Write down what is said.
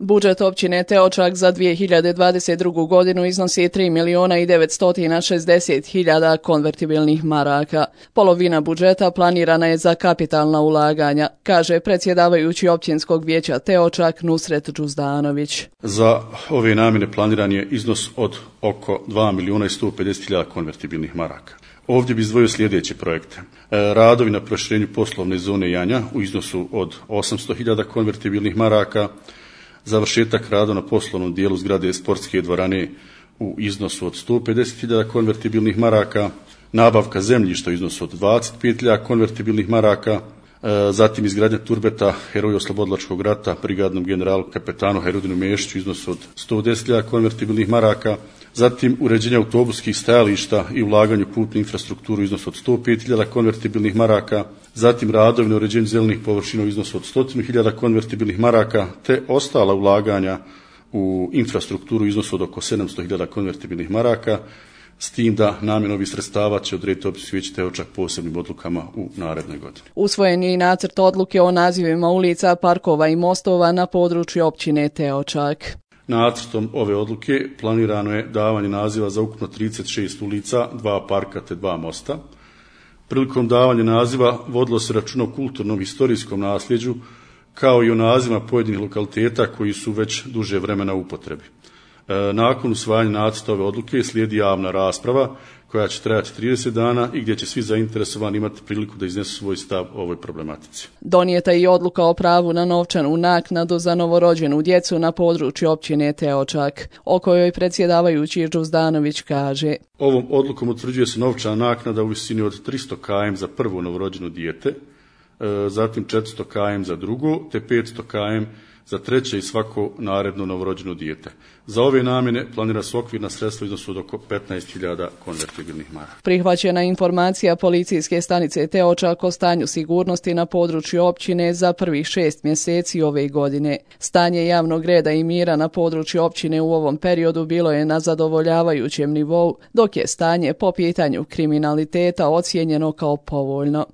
Budžet općine Teočak za 2022. godinu iznosi 3.960.000 konvertibilnih maraka. Polovina budžeta planirana je za kapitalna ulaganja, kaže predsjedavajući općinskog vijeća Teočak Nusret Džuzdanović. Za ove namjene planiran je iznos od oko 2.150.000 konvertibilnih maraka. Ovdje bi izdvojio sljedeće projekte. Radovi na proširenju poslovne zone Janja u iznosu od 800.000 konvertibilnih maraka, završetak rada na poslovnom dijelu zgrade sportske dvorane u iznosu od 150.000 konvertibilnih maraka, nabavka zemljišta u iznosu od 25.000 konvertibilnih maraka, zatim izgradnja turbeta Heroju oslobodilačkog rata brigadnom generalu kapetanu Herudinu Mešiću u iznosu od 110.000 konvertibilnih maraka, zatim uređenje autobuskih stajališta i ulaganje u putnu infrastrukturu u iznosu od 105.000 konvertibilnih maraka, zatim radovi na uređenju zelenih površina u iznosu od 100.000 konvertibilnih maraka, te ostala ulaganja u infrastrukturu u iznosu od oko 700.000 konvertibilnih maraka, s tim da namjenu ovih sredstava će odrediti općinsko vijeće Teočak posebnim odlukama u narednoj godini. Usvojen je i nacrt odluke o nazivima ulica, parkova i mostova na području općine Teočak. Nacrtom ove odluke planirano je davanje naziva za ukupno 36 ulica, 2 parka te 2 mosta. Prilikom davanja naziva vodilo se računa o kulturnom i historijskom nasljeđu, kao i o nazivima pojedinih lokaliteta koji su već duže vremena u upotrebi. Nakon usvajanja nacrta ove odluke slijedi javna rasprava koja će trajati 30 dana i gdje će svi zainteresovani imati priliku da iznesu svoj stav o ovoj problematici. Donijeta je i odluka o pravu na novčanu naknadu za novorođenu djecu na području općine Teočak, o kojoj predsjedavajući Džuzdanović kaže: Ovom odlukom utvrđuje se novčana naknada u visini od 300 km za prvo novorođeno dijete, zatim 400 km za drugo, te 500 km za treće i svako naredno novorođeno dijete. Za ove namjene planira se okvirna sredstva u iznosu od oko 15.000 konvertibilnih maraka. Prihvaćena informacija policijske stanice Teočak o stanju sigurnosti na području općine za prvih 6 mjeseci ove godine. Stanje javnog reda i mira na području općine u ovom periodu bilo je na zadovoljavajućem nivou, dok je stanje po pitanju kriminaliteta ocijenjeno kao povoljno.